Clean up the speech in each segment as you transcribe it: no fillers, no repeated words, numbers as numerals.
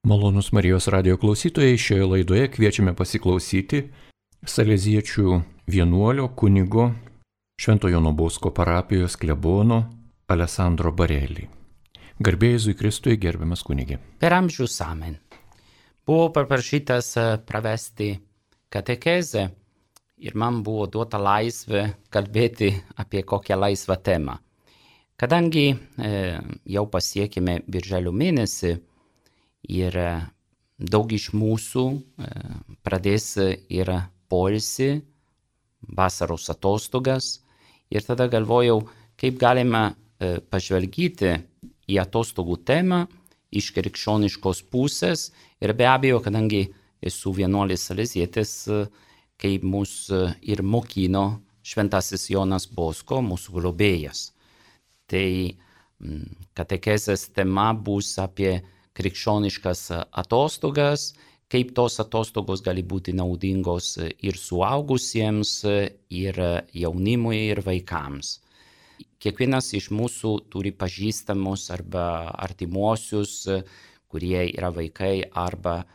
Malonus Marijos radio klausytojai, šioje laidoje kviečiame pasiklausyti saleziečių vienuolio kunigo Švento Jono Bosko parapijos klebono Alessandro Barelį. Garbė Jėzui Kristui, gerbiamas kunigė. Per amžius amen. Buvau paprašytas pravesti katekezę ir man buvo duota laisvė kalbėti apie kokią laisvą temą. Kadangi jau pasiekėme birželio mėnesį ir daug iš mūsų pradės ir poilsį, vasaros atostogas, ir tada galvojau, kaip galima pažvelgyti į atostogų temą iš krikščioniškos pusės, ir be abejo, kadangi esu vienuolis salezietis, kaip mus ir mokino Šventasis Jonas Bosko, mūsų globėjas. Tai katekezės tema bus apie krikščioniškas atostogas, kaip tos atostogos gali būti naudingos ir suaugusiems, ir jaunimui, ir vaikams. Kiekvienas iš mūsų turi pažįstamus arba artimuosius, kurie yra vaikai arba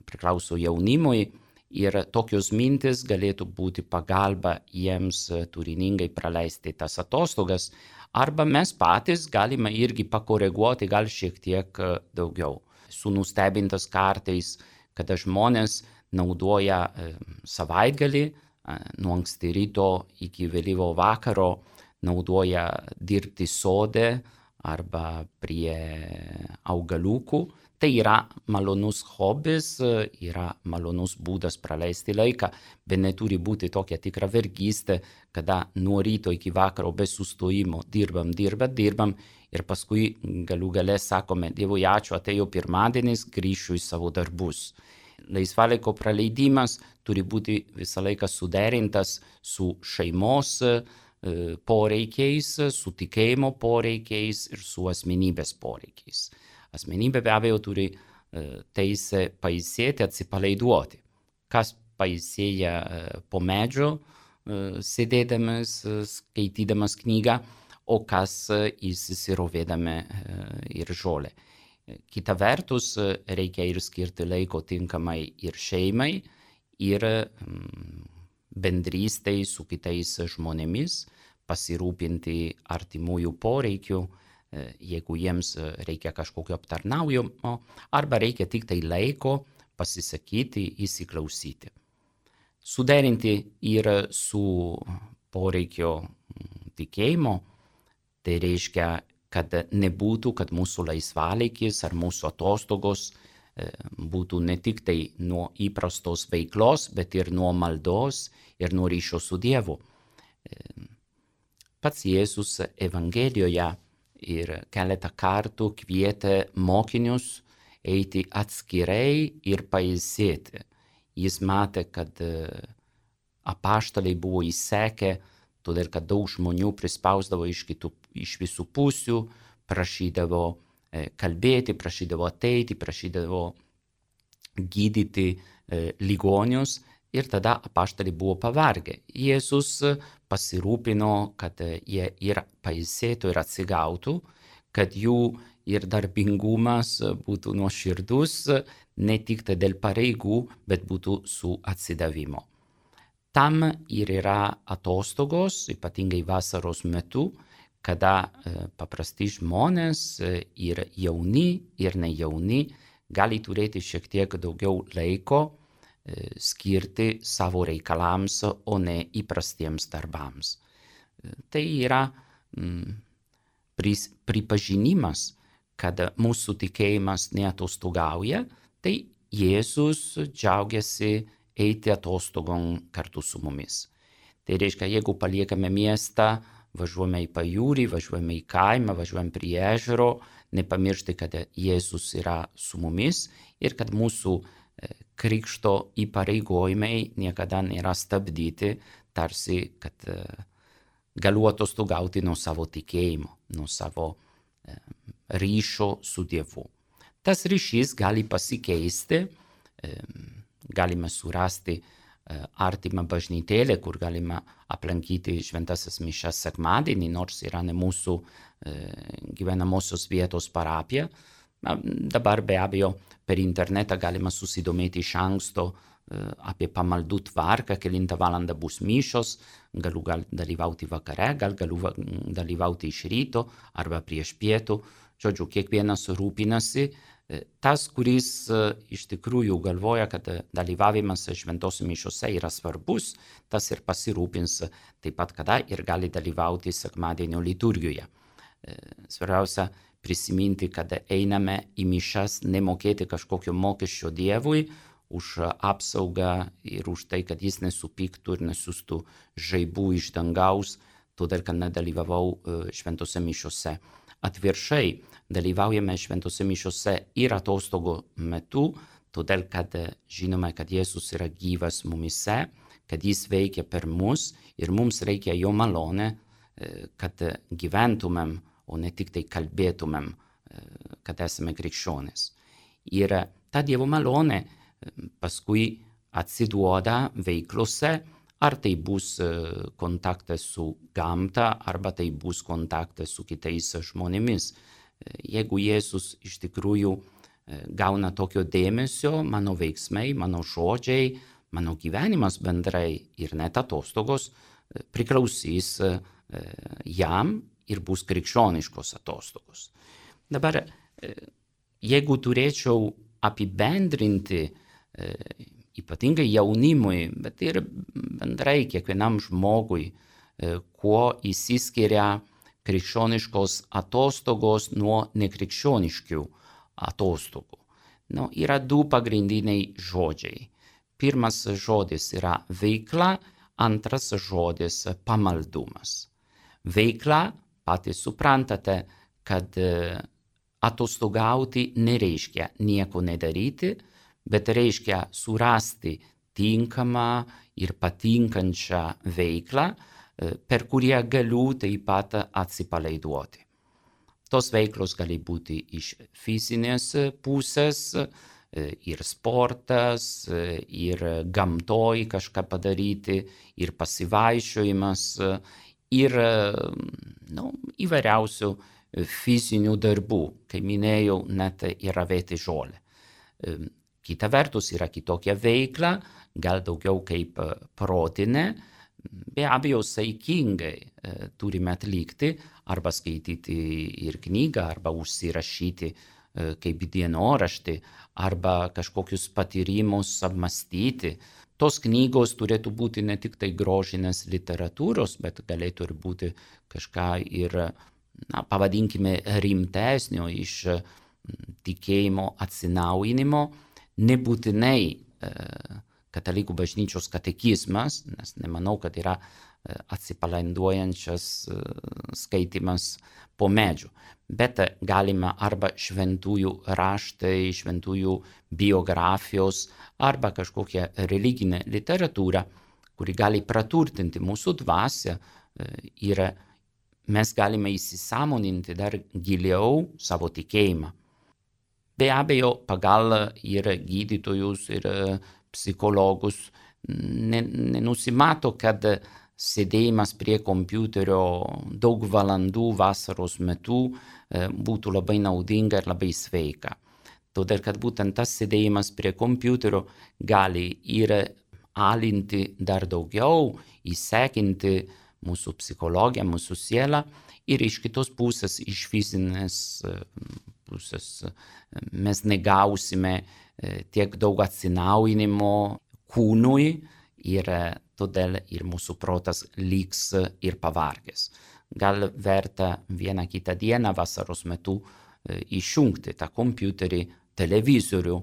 priklauso jaunimui, ir tokios mintis galėtų būti pagalba jiems turiningai praleisti tas atostogas, arba mes patys galime irgi pakoreguoti gal šiek tiek daugiau. Esu nustebintas kartais, kada žmonės naudoja savaitgalį, nuo anksti ryto iki vėlyvo vakaro, naudoja dirbti sode arba prie augaliukų. Tai yra malonus hobis, yra malonus būdas praleisti laiką, bet neturi būti tokia tikra vergystė, kada nuo ryto iki vakaro be sustojimo dirbam, ir paskui galų gale sakome, Dievui ačiū, atėjo pirmadienis, grįšiu į savo darbus. Laisvalaiko praleidimas turi būti visą laiką suderintas su šeimos poreikiais, su tikėjimo poreikiais ir su asmenybės poreikiais. Asmenybė be abejo turi teisę pailsėti, atsipalaiduoti. Kas pailsėja po medžio, sėdėdamas, skaitydamas knygą, o kas įsirovėdami ir žolę. Kita vertus, reikia ir skirti laiko tinkamai ir šeimai, ir bendrystei su kitais žmonėmis, pasirūpinti artimųjų poreikių, jeigu jiems reikia kažkokio aptarnaujimo, arba reikia tik tai laiko pasisakyti, įsiklausyti. Suderinti ir su poreikio tikėjimo, tai reiškia, kad nebūtų, kad mūsų laisvalaikis ar mūsų atostogos būtų ne tik tai nuo įprastos veiklos, bet ir nuo maldos ir nuo ryšio su Dievu. Pats Jėzus Evangelijoje ir keletą kartų kvietė mokinius eiti atskirai ir pailsėti. Jis matė, kad apaštalai buvo įsekę, todėl kad daug žmonių prispausdavo iš visų pusių, prašydavo kalbėti, prašydavo ateiti, prašydavo gydyti ligonius, ir tada apaštalai buvo pavargę. Jėzus pasirūpino, kad jie ir pailsėtų ir atsigautų, kad jų ir darbingumas būtų nuoširdus, ne tik dėl pareigų, bet būtų su atsidavimu. Tam ir yra atostogos, ypatingai vasaros metu, kada paprasti žmonės, ir jauni, ir nejauni, gali turėti šiek tiek daugiau laiko skirti savo reikalams, o ne įprastiems darbams. Tai yra pripažinimas, kad mūsų tikėjimas neatostogauja, tai Jėzus džiaugiasi eiti atostogom kartu su mumis. Tai reiškia, jeigu paliekame miestą, važiuojame į pajūrį, važiuojame į kaimą, važiuojame prie ežero, nepamiršti, kad Jėzus yra su mumis ir kad mūsų krikšto įpareigojimai niekada nėra stabdyti, tarsi, kad galiu atostogauti nuo savo tikėjimo, nuo savo ryšio su Dievu. Tas ryšys gali pasikeisti, galime surasti artimą bažnytėlę, kur galima aplankyti šventasias mišias sekmadienį, nors yra ne mūsų gyvenamosios vietos parapija. Dabar be abejo per internetą galima susidomėti iš anksto apie pamaldų tvarką, kelintą valandą bus mišios, galiu dalyvauti vakare, galiu dalyvauti iš ryto arba prieš pietų. Žodžiu, kiekvienas rūpinasi. Tas, kuris iš tikrųjų galvoja, kad dalyvavimas šventose mišiose yra svarbus, tas ir pasirūpins taip pat kada ir gali dalyvauti sekmadienio liturgijoje. Svarbiausia prisiminti, kad einame į mišas nemokėti kažkokio mokesčio Dievui, už apsaugą ir už tai, kad jis nesupyktų ir nesiųstų žaibų iš dangaus, todėl kad nedalyvavau šventose mišiose. Atvirkščiai, dalyvaujame šventose mišiose ir atostogų metu, todėl kad žinome, kad Jėzus yra gyvas mumise, kad jis veikia per mus ir mums reikia jo malonę, kad gyventumėm, o ne tik tai kalbėtumėm, kad esame krikščionys. Ir ta Dievo malonė paskui atsiduoda veiklose, ar tai bus kontaktas su gamta, arba tai bus kontaktas su kitais žmonėmis. Jeigu Jėzus iš tikrųjų gauna tokio dėmesio, mano veiksmai, mano žodžiai, mano gyvenimas bendrai ir net atostogos priklausys jam ir bus krikščioniškos atostogos. Dabar, jeigu turėčiau apibendrinti ypatingai jaunimui, bet ir bendrai kiekvienam žmogui, kuo išsiskiria krikščioniškos atostogos nuo nekrikščioniškų atostogų. Yra du pagrindiniai žodžiai. Pirmas žodis yra veikla, antras žodis pamaldumas. Veikla, patys suprantate, kad atostogauti nereiškia nieko nedaryti, bet reiškia surasti tinkamą ir patinkančią veiklą, per kurią galiu taip pat atsipalaiduoti. Tos veiklos gali būti iš fizinės pusės, ir sportas, ir gamtoj kažką padaryti, ir pasivaiščiojimas, ir įvairiausių fizinių darbų, kaip minėjau, net ir ravėti žolę. Kita vertus yra kitokia veikla, gal daugiau kaip protinė, be abejo saikingai turime atlikti, arba skaityti ir knygą, arba užsirašyti kaip dienoraštį, arba kažkokius patyrimus apmąstyti. Tos knygos turėtų būti ne tik tai grožinės literatūros, bet galėtų ir būti kažką ir, pavadinkime, rimtesnio iš tikėjimo atsinaujinimo. Nebūtinai katalikų bažnyčios katekizmas, nes nemanau, kad yra atsipalaiduojančias skaitimas po medžiu, bet galima arba šventųjų raštai, šventųjų biografijos, arba kažkokia religinė literatūra, kuri gali praturtinti mūsų dvasią ir mes galime įsisąmoninti dar giliau savo tikėjimą. Be abejo, pagal ir gydytojus, ir psichologus nenusimato, kad sėdėjimas prie kompiuterio daug valandų vasaros metu būtų labai naudinga ir labai sveika. Todėl, kad būtent tas sėdėjimas prie kompiuterio gali ir alinti dar daugiau, įsekinti mūsų psichologiją, mūsų sielą, ir iš kitos pusės, iš fizinės pusės, mes negausime tiek daug atsinaujinimo kūnui ir todėl ir mūsų protas liks ir pavargęs. Gal verta vieną kitą dieną vasaros metu išjungti tą kompiuterį, televizorių,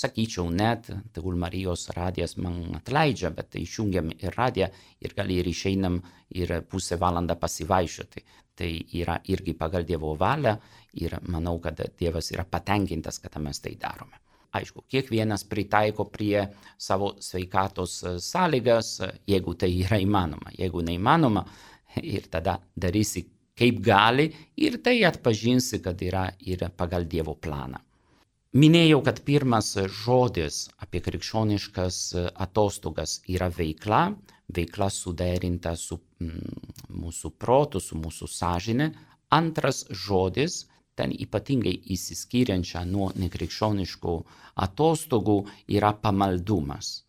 sakyčiau net, tegul Marijos radijas man atleidžia, bet išjungiam ir radiją ir gal ir išeinam ir pusę valandą pasivaiščioti. Tai yra irgi pagal Dievo valią ir manau, kad Dievas yra patenkintas, kad mes tai darome. Aišku, kiekvienas pritaiko prie savo sveikatos sąlygas, jeigu tai yra įmanoma. Jeigu neįmanoma, ir tada darysi kaip gali ir tai atpažinsi, kad yra ir pagal Dievo planą. Minėjau, kad pirmas žodis apie krikščioniškas atostogas yra veikla, veikla suderinta su mūsų protu, su mūsų sąžine. Antras žodis ten ypatingai įsiskiriančia nuo nekrikščioniškų atostogų yra pamaldumas.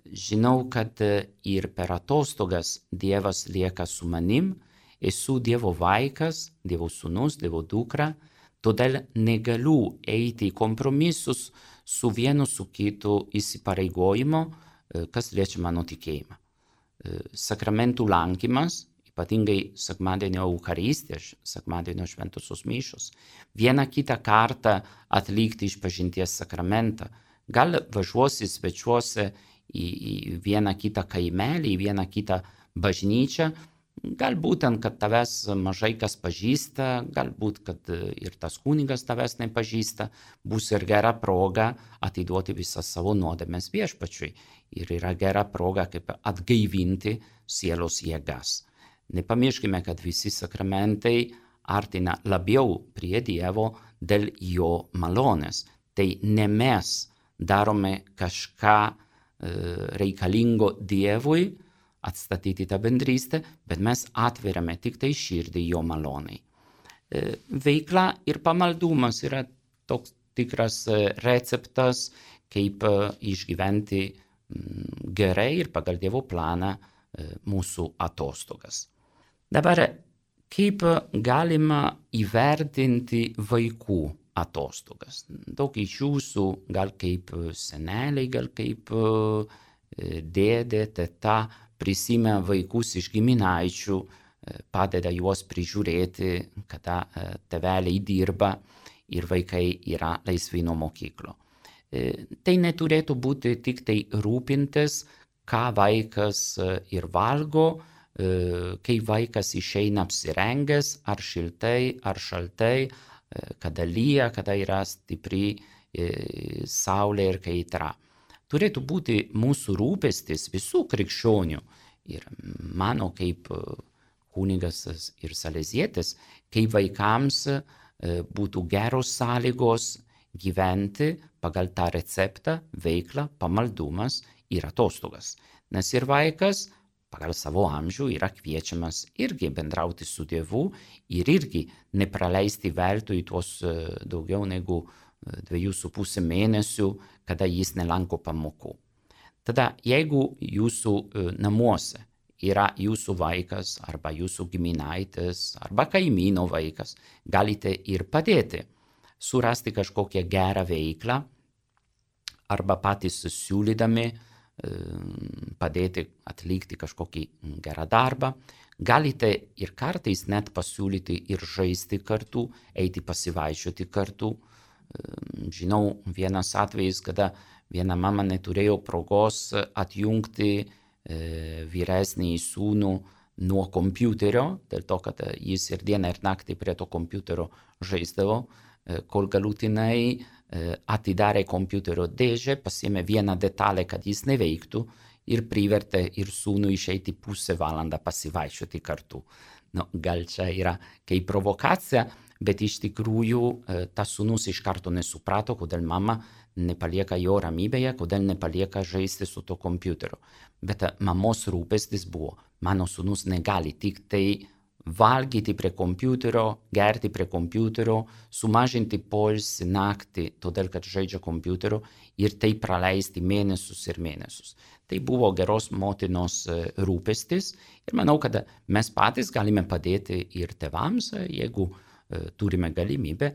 Žinau, kad ir per atostogas Dievas lieka su manim, esu Dievo vaikas, Dievo sūnus, Dievo dukra, todėl negaliu eiti į kompromisus su vienu su kitu įsipareigojimu, kas liečia mano tikėjimą. Sakramentų lankymas, ypatingai sekmadienio Eucharistija, sekmadienio šventosios mišios, vieną kitą kartą atlikti išpažinties sakramentą, gal važiuosi svečiuose į vieną kitą kaimelį, į vieną kitą bažnyčią, galbūt ten, kad tavęs mažai kas pažįsta, galbūt, kad ir tas kunigas tavęs nepažįsta, bus ir gera proga atiduoti visas savo nuodėmes viešpačiui. Ir yra gera proga kaip atgaivinti sielos jėgas. Nepamirškime, kad visi sakramentai artina labiau prie Dievo dėl jo malonės. Tai ne mes darome kažką reikalingo Dievui atstatyti tą bendrystę, bet mes atveriame tik tai širdį jo malonai. Veikla ir pamaldumas yra toks tikras receptas, kaip išgyventi gerai ir pagal Dievo planą mūsų atostogas. Dabar, kaip galima įvertinti vaikų atostogas? Daug iš jūsų, gal kaip seneliai, gal kaip dėdė, teta, prisimė vaikus iš giminaičių, padeda juos prižiūrėti, kada tėveliai dirba ir vaikai yra laisvi nuo mokyklų. Tai neturėtų būti tik tai rūpintis, ką vaikas ir valgo, kai vaikas išeina apsirengęs, ar šiltai, ar šaltai, kada lyja, kada yra stipri saulė ir kaitra. Turėtų būti mūsų rūpestis visų krikščionių ir mano kaip kunigas ir salezietis, kai vaikams būtų geros sąlygos gyventi pagal tą receptą, veiklą, pamaldumas ir atostogas. Nes ir vaikas pagal savo amžių yra kviečiamas irgi bendrauti su Dievu ir irgi nepraleisti veltui tuos daugiau negu 2,5 mėnesių, kada jis nelanko pamokų. Tada, jeigu jūsų namuose yra jūsų vaikas arba jūsų giminaitis arba kaimyno vaikas, galite ir padėti surasti kažkokią gerą veiklą arba patys siūlydami padėti atlikti kažkokį gerą darbą. Galite ir kartais net pasiūlyti ir žaisti kartu, eiti pasivaikščioti kartu. Žinau vienas atvejis, kada viena mama neturėjo progos atjungti vyresnį sūnų nuo kompiuterio, dėl to, kad jis ir dieną ir naktį prie to kompiuterio žaisdavo, kol galutinai atidarė kompiuterio dėžę, pasiėmė vieną detalę, kad jis neveiktų ir privertė ir sūnų išeiti pusę valandą pasivaikščioti kartu. Gal čia yra kaip provokacija, bet iš tikrųjų tas sūnus iš karto nesuprato, kodėl mama nepalieka jo ramybėje, kodėl nepalieka žaisti su to kompiuteriu. Bet mamos rūpestis buvo, mano sūnus negali tik tai valgyti prie kompiuterio, gerti prie kompiuterio, sumažinti poilsį naktį, todėl kad žaidžia kompiuteriu ir tai praleisti mėnesius ir mėnesius. Tai buvo geros motinos rūpestis ir manau, kad mes patys galime padėti ir tėvams, jeigu turime galimybę,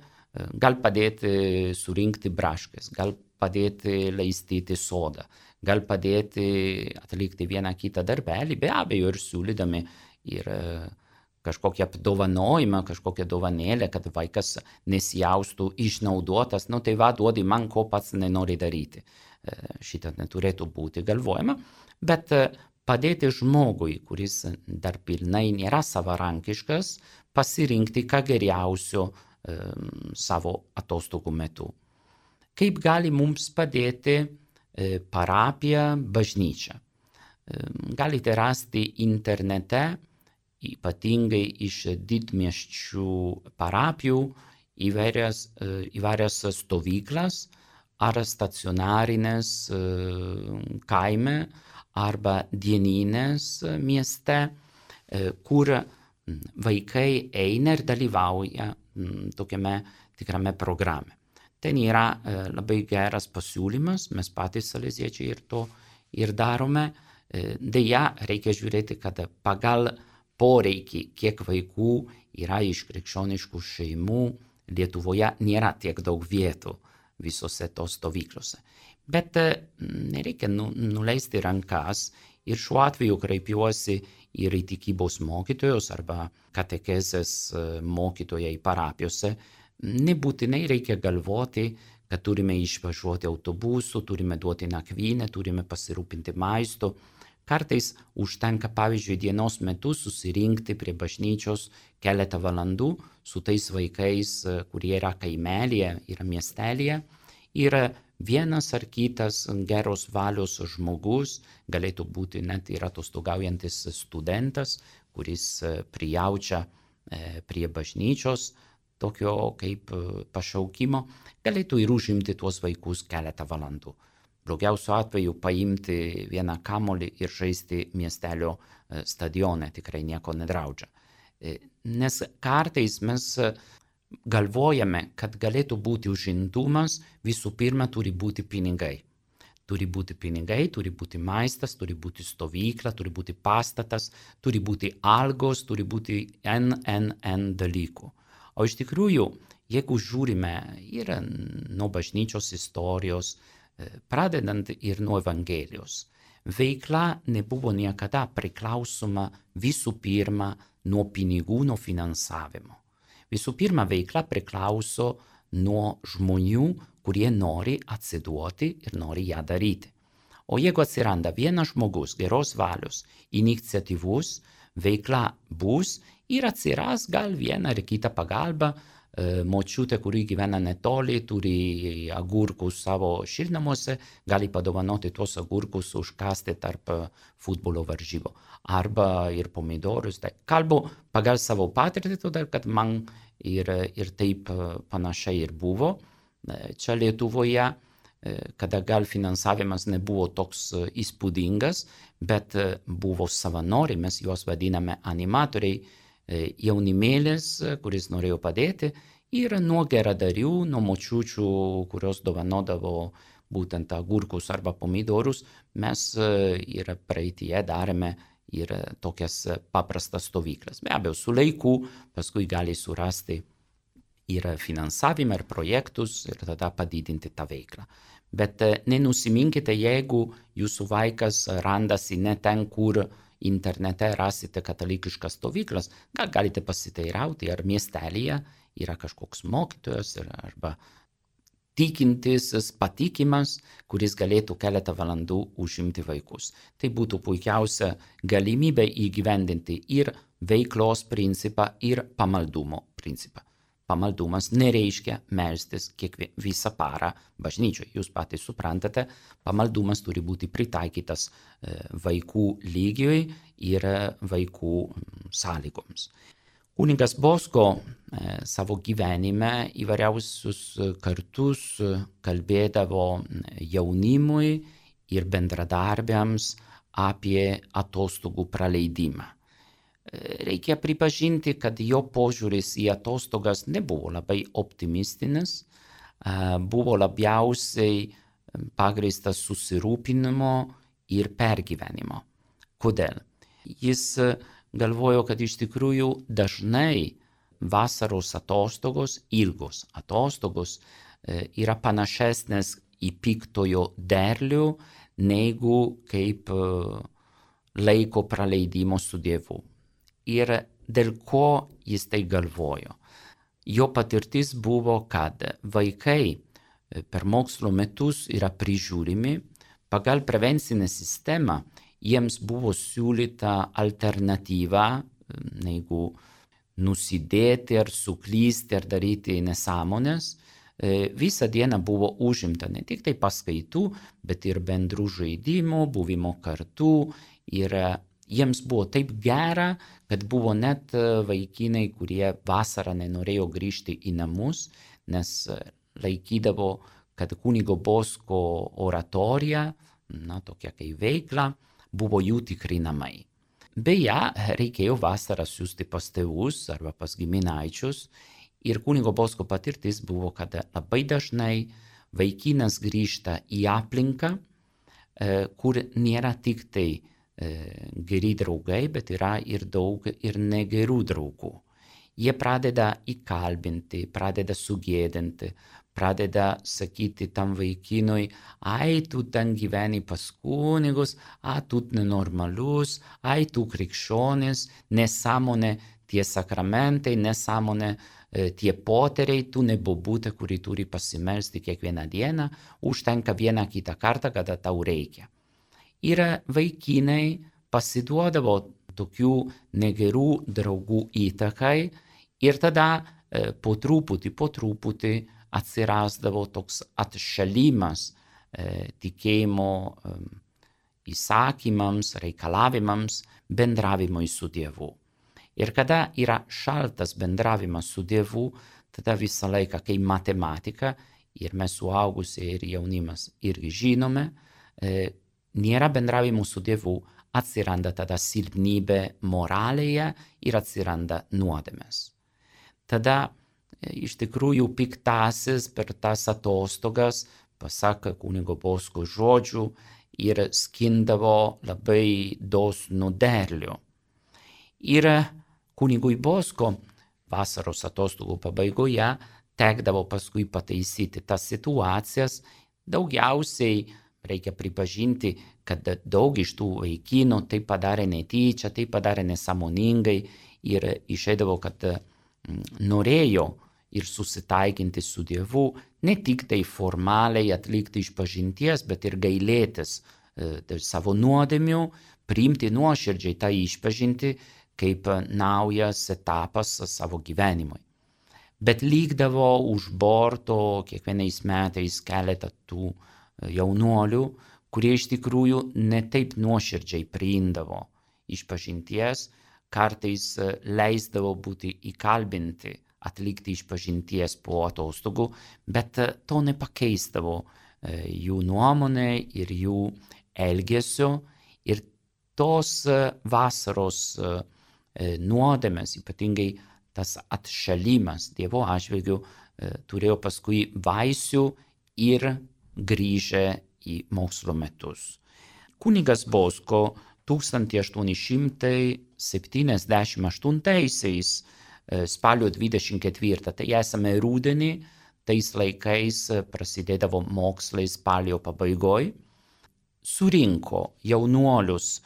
gal padėti surinkti braškes, gal padėti laistyti sodą, gal padėti atlikti vieną kitą darbelį, be abejo ir siūlydami ir kažkokią apdovanojimą, kažkokią dovanėlę, kad vaikas nesijaustų išnaudotas, tai duodi man, ko pats nenori daryti. Šitą neturėtų būti galvojama, bet padėti žmogui, kuris dar pilnai nėra savarankiškas, pasirinkti ką geriausio savo atostogų metu. Kaip gali mums padėti parapija, bažnyčia? Galite rasti internete, ypatingai iš didmiesčių parapijų, įvairias stovyklas ar stacionarinės kaime arba dieninės mieste, kur vaikai eina ir dalyvauja tokiame tikrame programe. Ten yra labai geras pasiūlymas, mes patys saleziečiai ir to ir darome. Deja, reikia žiūrėti, kad pagal poreikį, kiek vaikų yra iš krikščioniškų šeimų, Lietuvoje nėra tiek daug vietų visose tos stovyklose. Bet nereikia nuleisti rankas ir šiuo atveju kreipiuosi ir į tikybos mokytojus arba katekezės mokytojai parapijose. Nebūtinai reikia galvoti, kad turime išvažiuoti autobusu, turime duoti nakvynę, turime pasirūpinti maistu. Kartais užtenka, pavyzdžiui, dienos metu susirinkti prie bažnyčios keletą valandų su tais vaikais, kurie yra kaimelėje, yra miestelėje. Ir vienas ar kitas geros valios žmogus, galėtų būti net ir atostogaujantis studentas, kuris prijaučia prie bažnyčios, tokio kaip pašaukimo, galėtų ir užimti tuos vaikus keletą valandų. Blogiausiu atveju paimti vieną kamuolį ir žaisti miestelio stadione tikrai nieko nedraudžia. Nes kartais mes galvojame, kad galėtų būti užimtumas, visų pirma turi būti pinigai. Turi būti pinigai, turi būti maistas, turi būti stovykla, turi būti pastatas, turi būti algos, turi būti n dalykų. O iš tikrųjų, jeigu žiūrime ir nuo bažnyčios istorijos, pradedant ir nuo Evangelijos, veikla nebuvo niekada priklausoma visų pirma nuo pinigų, nuo finansavimo. Visų pirma, veikla priklauso nuo žmonių, kurie nori atsiduoti ir nori ją daryti. O jeigu atsiranda vienas žmogus, geros valios, iniciatyvus, veikla bus ir atsiras gal vieną ar kitą pagalbą. Močiutė, kuri gyvena netoli, turi agurkus savo šiltnamuose, gali padovanoti tuos agurkus užkasti tarp futbolo varžybų. Arba ir pomidorus. Kalbu pagal savo patirtį, todėl kad man ir taip panašiai ir buvo. Čia Lietuvoje, kada gal finansavimas nebuvo toks įspūdingas, bet buvo savanoriai, mes juos vadiname animatoriai, jaunimėlis, kuris norėjo padėti, ir nuo geradarių, nuo močiučių, kurios dovanodavo būtent agurkus arba pomidorus, mes ir praeityje darėme ir tokias paprastas stovyklas. Be abejo, su laiku paskui gali surasti ir finansavimą, ir projektus, ir tada padidinti tą veiklą. Bet nenusiminkite, jeigu jūsų vaikas randasi ne ten, kur internete rasite katalikiškas stovyklas, gal galite pasiteirauti, ar miestelėje yra kažkoks mokytojas arba tikintis, patikimas, kuris galėtų keletą valandų užimti vaikus. Tai būtų puikiausia galimybė įgyvendinti ir veiklos principą, ir pamaldumo principą. Pamaldumas nereiškia melstis visą parą bažnyčioje. Jūs patys suprantate, pamaldumas turi būti pritaikytas vaikų lygiui ir vaikų sąlygoms. Kunigas Bosko savo gyvenime įvairiausius kartus kalbėdavo jaunimui ir bendradarbiams apie atostogų praleidimą. Reikia pripažinti, kad jo požiūris į atostogas nebuvo labai optimistinis, buvo labiausiai pagrįstas susirūpinimo ir pergyvenimo. Kodėl? Jis galvojo, kad iš tikrųjų dažnai vasaros atostogos, ilgos atostogos, yra panašesnės į piktojo derlių, negu kaip laiko praleidimo su Dievu. Ir dėl ko jis tai galvojo? Jo patirtis buvo, kad vaikai per mokslo metus yra prižiūrimi, pagal prevencinę sistemą jiems buvo siūlyta alternatyva, negu nusidėti ar suklysti ar daryti nesąmonės. Visą dieną buvo užimta ne tik tai paskaitų, bet ir bendrų žaidimų, buvimo kartu. Ir jiems buvo taip gera, kad buvo net vaikinai, kurie vasarą nenorėjo grįžti į namus, nes laikydavo, kad kunigo Bosko oratorija, tokia kaip veikla, buvo jų tikri namai. Beje, reikėjo vasarą siųsti pas tėvus arba pas giminaičius Ir kunigo Bosko patirtis buvo, kad labai dažnai vaikinas grįžta į aplinką, kur nėra tik tai geri draugai, bet yra ir daug ir negerų draugų. Jie pradeda įkalbinti, pradeda sugėdinti, pradeda sakyti tam vaikinui, ai, tu ten gyveni pas kunigus, tu nenormalus, ai, tu krikščionis, nesąmonė tie sakramentai, nesąmonė tie poteriai, tu ne bobutė, kuri turi pasimelsti kiekvieną dieną, užtenka vieną kitą kartą, kada tau reikia. Ir vaikinai pasiduodavo tokių negerų draugų įtakai ir tada po truputį atsirasdavo toks atšalimas tikėjimo įsakymams, reikalavimams, bendravimui su Dievu. Ir kada yra šaltas bendravimas su Dievu, tada visą laiką, kai matematika, ir mes suaugusiai ir jaunimas irgi žinome, nėra bendravimo su Dievu, atsiranda tada silpnybė moralėje ir atsiranda nuodėmės. Tada iš tikrųjų piktasis per tas atostogas, pasak kunigo Bosko žodžių, ir skindavo labai dosnų derlių. Ir kunigui Bosko vasaros atostogų pabaigoje tekdavo paskui pataisyti tas situacijas. Daugiausiai reikia pripažinti, kad daug iš tų vaikinų tai padarė netyčia, tai padarė nesąmoningai ir išeidavo, kad norėjo ir susitaikinti su Dievu, ne tik tai formaliai atlikti išpažinties, bet ir gailėtis savo nuodėmių, priimti nuoširdžiai tą išpažinti kaip naujas etapas savo gyvenimui. Bet likdavo už borto kiekvienais metais keletą tų jaunuolių, kurie iš tikrųjų ne taip nuoširdžiai priimdavo išpažinties, kartais leisdavo būti įkalbinti atlikti išpažinties po atostogų, bet to nepakeisdavo jų nuomonė ir jų elgesio. Ir tos vasaros nuodėmės, ypatingai tas atšalimas Dievo atžvilgiu, turėjo paskui vaisių ir grįžę į mokslo metus. Kunigas Bosko 1878 spalio 24, tai esame rudenį, tais laikais prasidėdavo mokslai spalio pabaigoj, surinko jaunuolius,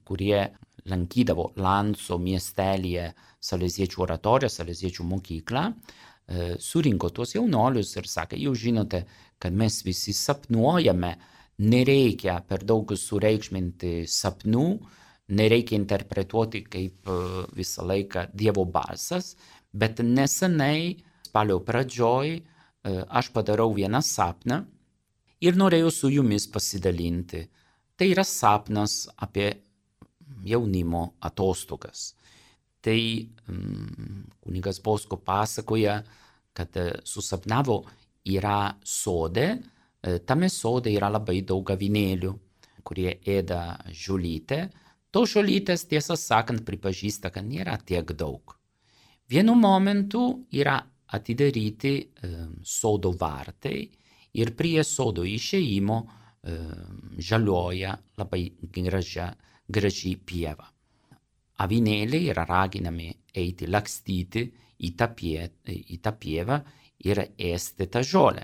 kurie lankydavo Lanco miestelyje saleziečių oratoriją, saleziečių mokyklą, surinko tuos jaunuolius ir sakė, jūs žinote, kad mes visi sapnuojame, nereikia per daug sureikšminti sapnų, nereikia interpretuoti kaip visą laiką Dievo balsas, bet nesenai, spalio pradžioj, aš padarau vieną sapną ir norėjau su jumis pasidalinti. Tai yra sapnas apie jaunimo atostogas. Tai kunigas Bosko pasakoja, kad susapnavo yra sode, tame sode yra labai daug avinėlių, kurie ėda žolytę. To žolytės, tiesą sakant, pripažįsta, kad nėra tiek daug. Vienu momentu yra atidaryti sodo vartai ir prie sodo išėjimo žalioja labai graži pieva. Avinėliai yra raginami eiti lakstyti į tą pievą ir ėsti tą žolę.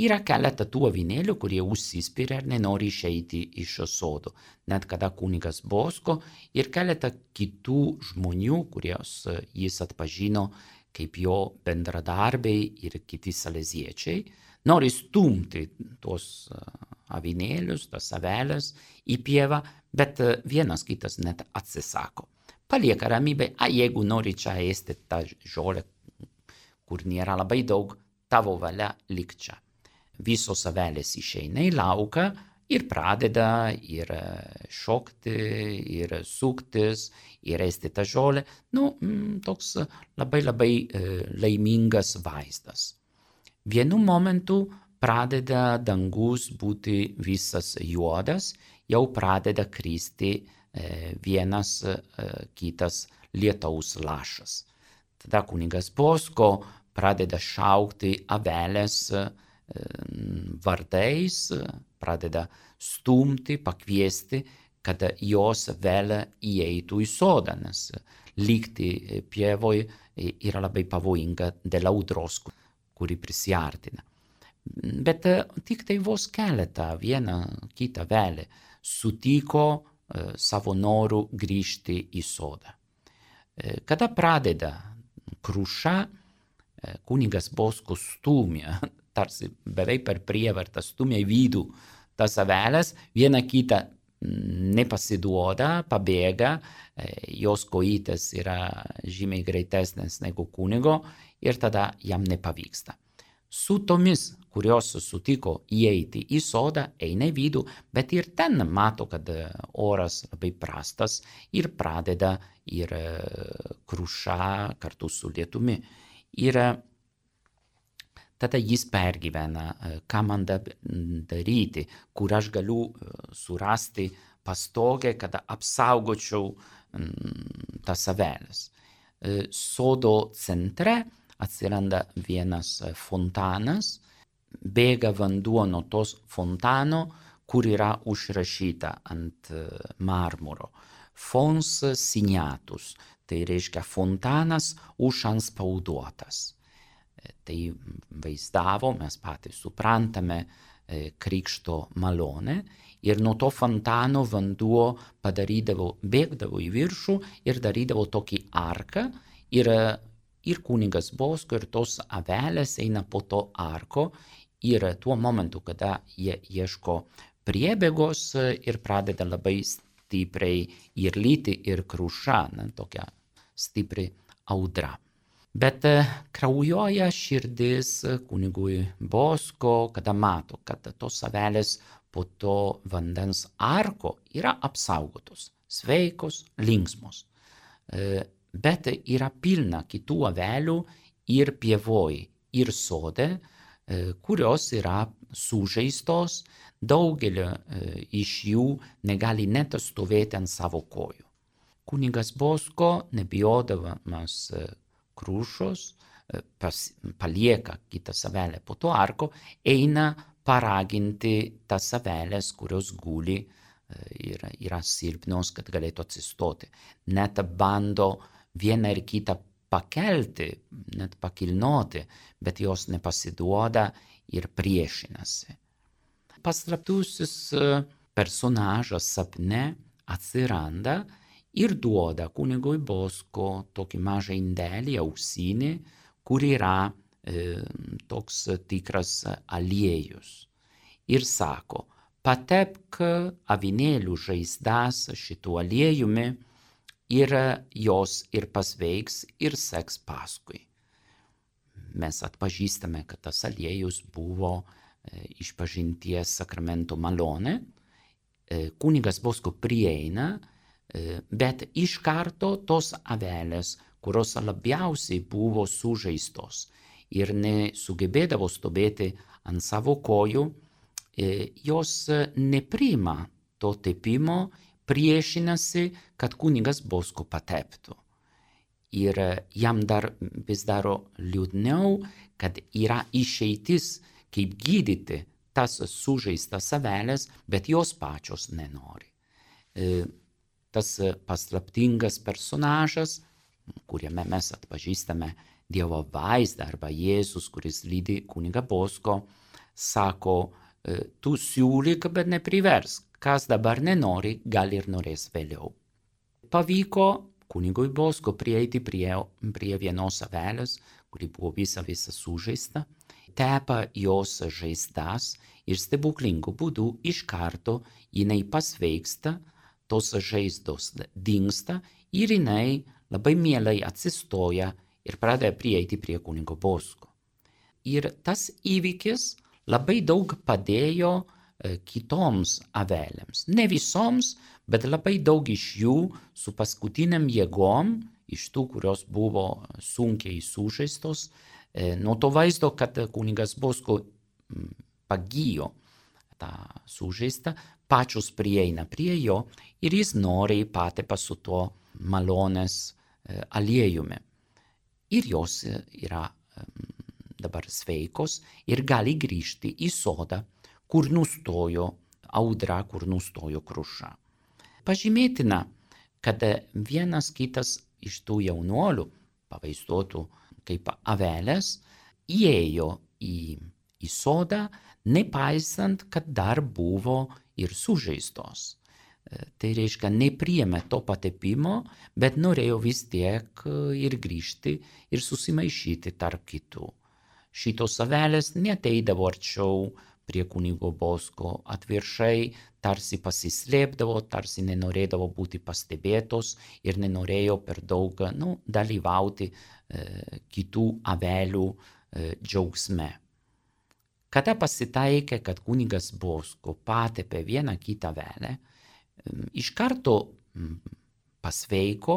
Yra keletą tų avinėlių, kurie užsispiria ir nenori išeiti iš šio sodo. Net kada kunigas Bosko ir keletą kitų žmonių, kurios jis atpažino kaip jo bendradarbiai ir kiti saleziečiai, nori stumti tuos avinėlius, tas avelės į pievą, bet vienas kitas net atsisako. Palieka ramybę, jeigu nori čia ėsti tą žolę, kur nėra labai daug, tavo valia lik čia. Visos avelės išeina į lauką ir pradeda ir šokti, ir suktis, ir ėsti tą žolę. Toks labai laimingas vaizdas. Vienu momentu pradeda dangus būti visas juodas, jau pradeda kristi vienas kitas lietaus lašas. Tada kunigas Bosko pradeda šaukti avelės vardais, pradeda stumti, pakviesti, kad jos vėl įeitų į sodą, nes likti pievoj yra labai pavojinga dėl audros, kuri prisiartina. Bet tik tai vos keletą, vieną kitą avelę sutiko savo noru grįžti į sodą. Kada pradeda kruša, kunigas Bosko stumia, tarsi beveik per prievartą stumia į vidų tas avelės, viena kita nepasiduoda, pabėga, jos kojytės yra žymiai greitesnės negu kunigo ir tada jam nepavyksta. Su tomis, kurios sutiko įeiti į sodą, eina į vidų, bet ir ten mato, kad oras labai prastas ir pradeda ir kruša kartu su lietumi. Ir tada jis pergyvena, ką man daryti, kur aš galiu surasti pastogę, kad apsaugočiau tas avelės. Sodo centre atsiranda vienas fontanas, bėga vanduo nuo tos fontano, kur yra užrašyta ant marmuro. Fons signatus, tai reiškia fontanas užantspauduotas. Tai vaizdavo, mes patys suprantame, krikšto malonę ir nuo to fontano vanduo bėgdavo į viršų ir darydavo tokį arką ir kunigas Bosko ir tos avelės eina po to arko ir tuo momentu, kada jie ieško priebėgos ir pradeda labai stipriai ir lyti ir kruša, tokia stipri audra. Bet kraujuoja širdis kunigui Bosko, kada mato, kad tos avelės po to vandens arko yra apsaugotos, sveikos, linksmos. Bet yra pilna kitų avelių ir pievoj, ir sode, kurios yra sužeistos, daugelio iš jų negali net stovėti ant savo kojų. Kunigas Bosko, nebijodamas krušos, palieka kitą avelę po to arko, eina paraginti tas avelės, kurios guli ir yra silpnos, kad galėtų atsistoti. Net bando vieną ir kitą pakelti, net pakilnoti, bet jos nepasiduoda ir priešinasi. Paslaptusis personažas sapne atsiranda ir duoda kunigui Bosko tokį mažą indelį, auksinį, kur yra toks tikras aliejus. Ir sako, patepk avinėlių žaizdas šitų aliejumi ir jos ir pasveiks ir seks paskui. Mes atpažįstame, kad tas aliejus buvo išpažinties sakramento malonė. Kunigas Bosko prieina, bet iš karto tos avelės, kurios labiausiai buvo sužeistos ir nesugebėdavo stovėti ant savo kojų, jos nepriima to tepimo, priešinasi, kad kunigas Bosko pateptų. Ir jam vis daro liūdniau, kad yra išeitis, kaip gydyti tas sužeistas avelės, bet jos pačios nenori. Tas paslaptingas personažas, kuriame mes atpažįstame Dievo vaizdą arba Jėzus, kuris lydi kunigą Bosko, sako, tu siūlyk, bet nepriversk. Kas dabar nenori, gal ir norės vėliau. Pavyko kunigui Bosko prieiti prie vienos avelės, kuri buvo visa sužeista, tepa jos žaizdas ir stebuklingu būdu iš karto jinai pasveiksta, tos žaizdos dingsta ir jinai labai mielai atsistoja ir pradeda prieiti prie kunigo Bosko. Ir tas įvykis labai daug padėjo kitoms avelėms. Ne visoms, bet labai daug iš jų su paskutiniam jėgom, iš tų, kurios buvo sunkiai sužeistos, nuo to vaizdo, kad kunigas Bosko pagijo tą sužeistą, pačios prieina prie jo ir jis noriai patepa su tuo malonės aliejumi. Ir jos yra dabar sveikos ir gali grįžti į sodą, kur nustojo audra, kur nustojo kruša. Pažymėtina, kad vienas kitas iš tų jaunuolių, pavaizduotų kaip avelės, įėjo į sodą, nepaisant, kad dar buvo ir sužeistos. Tai reiškia, nepriėmė to patepimo, bet norėjo vis tiek ir grįžti ir susimaišyti tarp kitų. Šitos avelės neateidavo arčiau prie kunigo Bosko, atvirkščiai tarsi pasislėpdavo, tarsi nenorėdavo būti pastebėtos ir nenorėjo per daug dalyvauti kitų avelių džiaugsme. Kada pasitaikė, kad kunigas Bosko patepė vieną kitą avelę, iš karto pasveiko,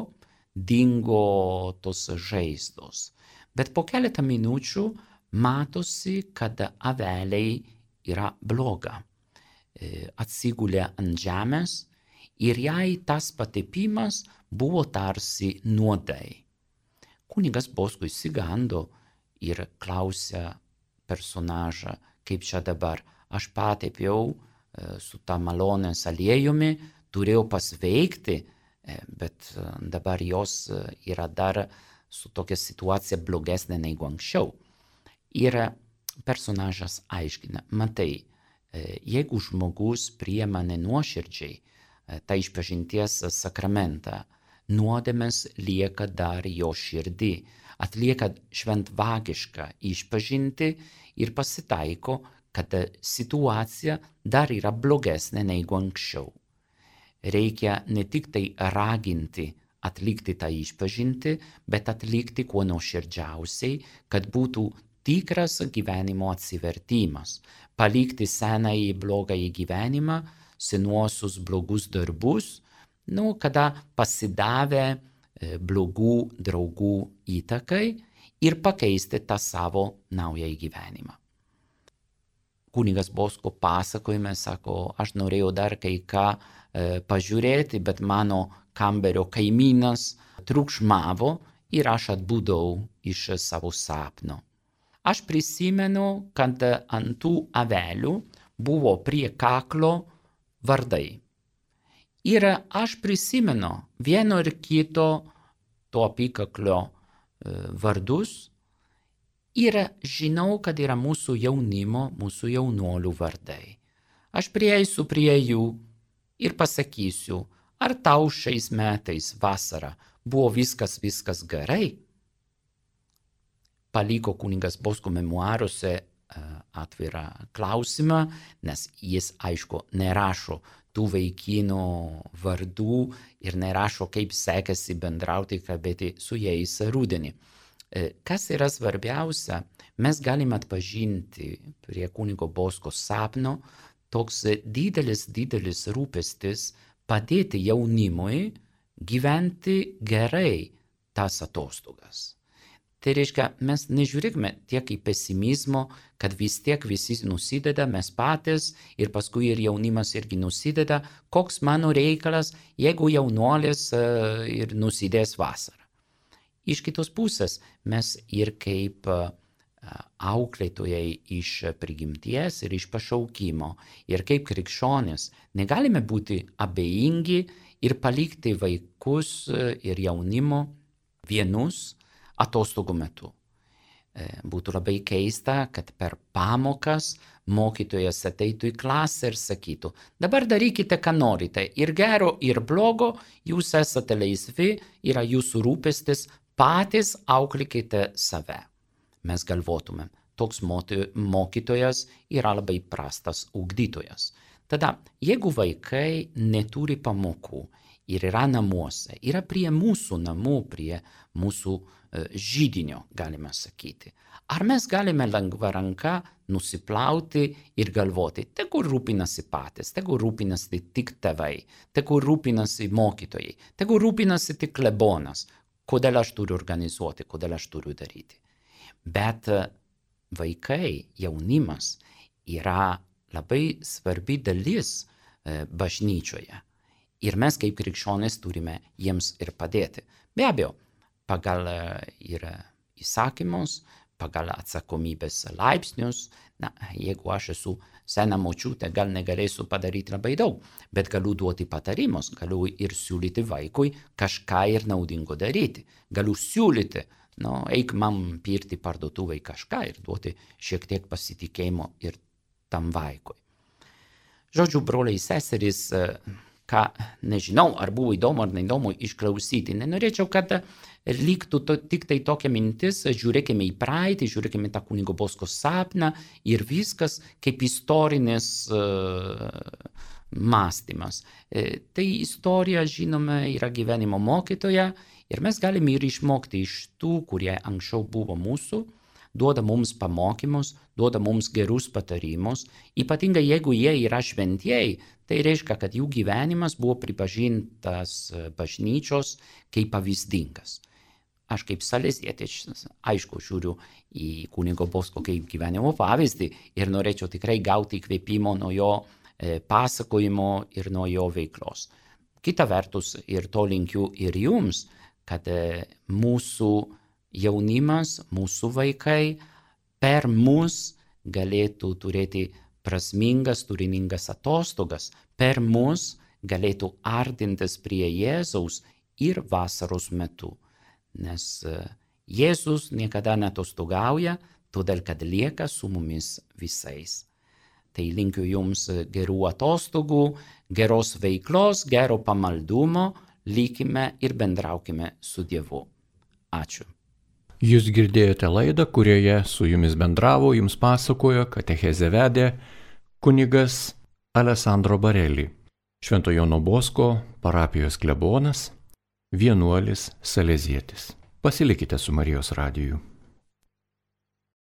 dingo tos žaizdos. Bet po keletą minučių matosi, kad aveliai yra bloga. Atsigulė ant žemės ir jai tas patepimas buvo tarsi nuodai. Kunigas Bosko išsigando ir klausė personažą, kaip čia dabar, aš patepiau su tą malonės aliejumi, turėjau pasveikti, bet dabar jos yra dar su tokia situacija blogesnė negu anksčiau. Ir personažas aiškina, matai, jeigu žmogus priima nenuoširdžiai tą išpažinties sakramentą, nuodėmės lieka dar jo širdį, atlieka šventvagišką išpažintį ir pasitaiko, kad situacija dar yra blogesnė negu anksčiau. Reikia ne tik tai raginti atlikti tą išpažintį, bet atlikti kuo nuoširdžiausiai, kad būtų tikras gyvenimo atsivertimas, palikti senąjį blogąjį gyvenimą, senuosius blogus darbus, kada pasidavę blogų draugų įtakai ir pakeisti tą savo naująjį gyvenimą. Kunigas Bosko pasakojime sako, aš norėjau dar kai ką pažiūrėti, bet mano kambario kaimynas triukšmavo ir aš atbudau iš savo sapno. Aš prisimenu, kad ant tų avelių buvo prie kaklo vardai. Ir aš prisimenu vieno ir kito to apykaklio vardus ir žinau, kad yra mūsų jaunimo, mūsų jaunuolių vardai. Aš prieisiu prie jų ir pasakysiu, ar tau šiais metais vasarą buvo viskas gerai? Paliko kunigas Bosko memuaruose atvirą klausimą, nes jis, aišku, nerašo tų vaikinų vardų ir nerašo, kaip sekasi bendrauti, kalbėti su jais rudenį. Kas yra svarbiausia, mes galime atpažinti prie kunigo Bosko sapno toks didelis rūpestis padėti jaunimui gyventi gerai tas atostogas. Tai reiškia, mes nežiūrėkime tiek į pesimizmo, kad vis tiek visi nusideda, mes patys ir paskui ir jaunimas irgi nusideda, koks mano reikalas, jeigu jaunuolis ir nusidės vasarą. Iš kitos pusės mes ir kaip auklėtojai iš prigimties ir iš pašaukimo ir kaip krikščionys negalime būti abejingi ir palikti vaikus ir jaunimo vienus atostogų metu. Būtų labai keista, kad per pamokas mokytojas ateitų į klasę ir sakytų, dabar darykite, ką norite, ir gero, ir blogo, jūs esate laisvi, yra jūsų rūpestis, patys auklykite save. Mes galvotumėm, toks mokytojas yra labai prastas ugdytojas. Tada, jeigu vaikai neturi pamokų ir yra namuose, yra prie mūsų namų, prie mūsų židinio, galime sakyti. Ar mes galime lengva ranka nusiplauti ir galvoti, tegu rūpinasi patys, tegu rūpinasi tik tėvai, tegu rūpinasi mokytojai, tegu rūpinasi tik klebonas, kodėl aš turiu organizuoti, kodėl aš turiu daryti. Bet vaikai, jaunimas yra labai svarbi dalis bažnyčioje. Ir mes kaip krikščionys turime jiems ir padėti. Be abejo, pagal ir įsakymus, pagal atsakomybės laipsnius. Na, jeigu aš esu sena močiutė, gal negalėsiu padaryti labai daug, bet galiu duoti patarimus, galiu ir siūlyti vaikui kažką ir naudingo daryti. Galiu siūlyti, eik man pirkti parduotuvai kažką ir duoti šiek tiek pasitikėjimo ir tam vaikui. Žodžiu, broliai seserys, ką nežinau, ar buvo įdomu ar neįdomu išklausyti. Nenorėčiau, kad liktų tik tai tokia mintis, žiūrėkime į praeitį, žiūrėkime tą kunigo Bosko sapną ir viskas kaip istorinis mąstymas. Tai istorija, žinome, yra gyvenimo mokytoja ir mes galime ir išmokti iš tų, kurie anksčiau buvo mūsų, duoda mums pamokymus, duoda mums gerus patarimus, ypatingai jeigu jie yra šventieji, tai reiškia, kad jų gyvenimas buvo pripažintas bažnyčios kaip pavyzdingas. Aš kaip salezietis, aišku, žiūriu į kunigo Bosko kaip gyvenimo pavyzdį ir norėčiau tikrai gauti įkvėpimo nuo jo pasakojimo ir nuo jo veiklos. Kita vertus, ir to linkiu ir jums, kad mūsų jaunimas, mūsų vaikai per mus galėtų turėti prasmingas, turiningas atostogas, per mus galėtų artintis prie Jėzaus ir vasaros metu. Nes Jėzus niekada neatostogauja, todėl kad lieka su mumis visais. Tai linkiu jums gerų atostogų, geros veiklos, gero pamaldumo, likime ir bendraukime su Dievu. Ačiū. Jūs girdėjote laidą, kurioje su jumis bendravo, jums pasakojo, katechezę vedė kunigas Alessandro Bareli, Švento Jono Bosko parapijos klebonas, vienuolis salezietis. Pasilikite su Marijos radiju.